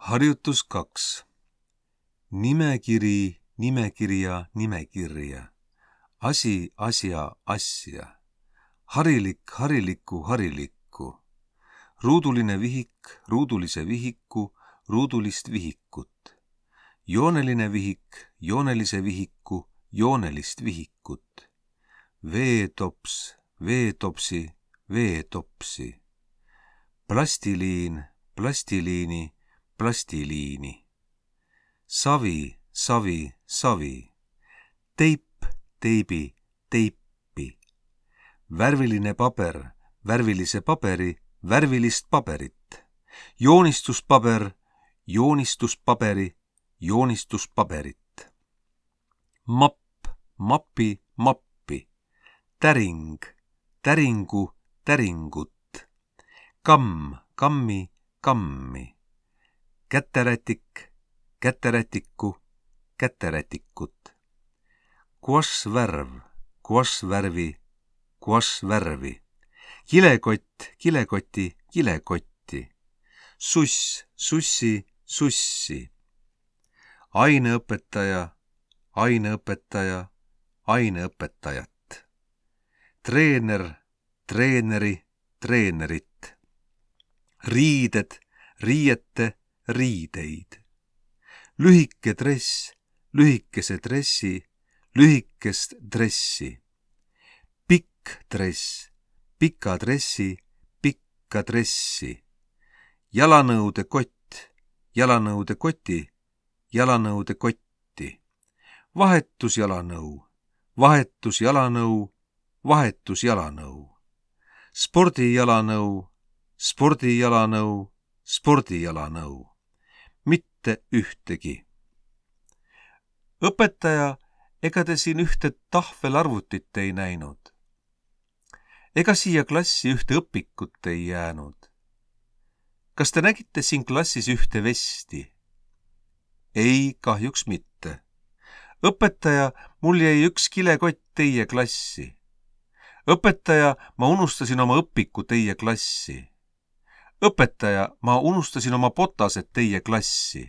Harjutus 2. Nimekiri, nimekirja, nimekirja. Asi, asja, asja. Harilik, harilikku, harilikku. Ruuduline vihik, ruudulise vihiku, ruudulist vihikut. Jooneline vihik, joonelise vihiku, joonelist vihikut. Veetops, veetopsi, veetopsi. Plastiliin, plastiliini, plastiliini. Savi, savi, savi. Teip, teibi, teipi. Värviline paber, värvilise paberi, värvilist paberit. Joonistuspaber, joonistuspaberi, joonistuspaberit. Mapp, mapi, mappi. Täring, täringu, täringut. Kamm, kammi, kammi. Käterätik, käterätiku, käterätikut. Kuassvärv, kuassvärvi, kuassvärvi. Kilekott, kilekoti, kilekotti. Suss, sussi, sussi. Aineõpetaja, aineõpetaja, aineõpetajat. Treener, treeneri, treenerit. Riided, riiete, riideid. Lühike dress, lühikese dressi, lühikest dressi. Pikk dress, pika dressi, pikka dressi. Jalanõude kott, jalanõude koti, jalanõude kotti. Vahetusjalanõu, vahetusjalanõu, vahetusjalanõu. Spordijalanõu, spordijalanõu, spordijalanõu. Mitte ühtegi. Õpetaja, ega te siin ühte tahvelarvutit ei näinud? Ega siia klassi ühte õpikut ei jäänud? Kas te nägite siin klassis ühte vesti? Ei, kahjuks mitte. Õpetaja, mul jäi üks kilekott teie klassi. Õpetaja, ma unustasin oma õpiku teie klassi. Õpetaja, ma unustasin oma botased teie klassi.